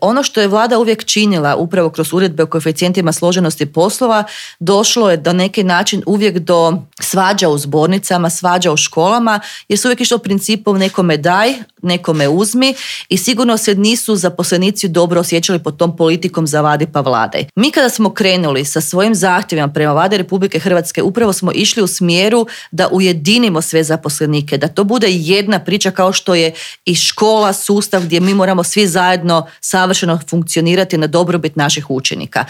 Ono što je vlada uvijek činila upravo kroz uredbe o koeficijentima složenosti poslova, došlo je do neki način uvijek do svađa u zbornicama, svađa u školama, jer su uvijek išlo principom nekome daj, nekome uzmi i sigurno se nisu zaposlenici dobro osjećali pod tom politikom zavadi pa vladaj. Mi kada smo krenuli sa svojim zahtjevima prema Vladi Republike Hrvatske, upravo smo išli u smjeru da ujedinimo sve zaposlenike, da to bude jedna priča kao što je i škola, sustav gdje mi moramo svi zajedno savršeno funkcionirati na dobrobit naših učenika.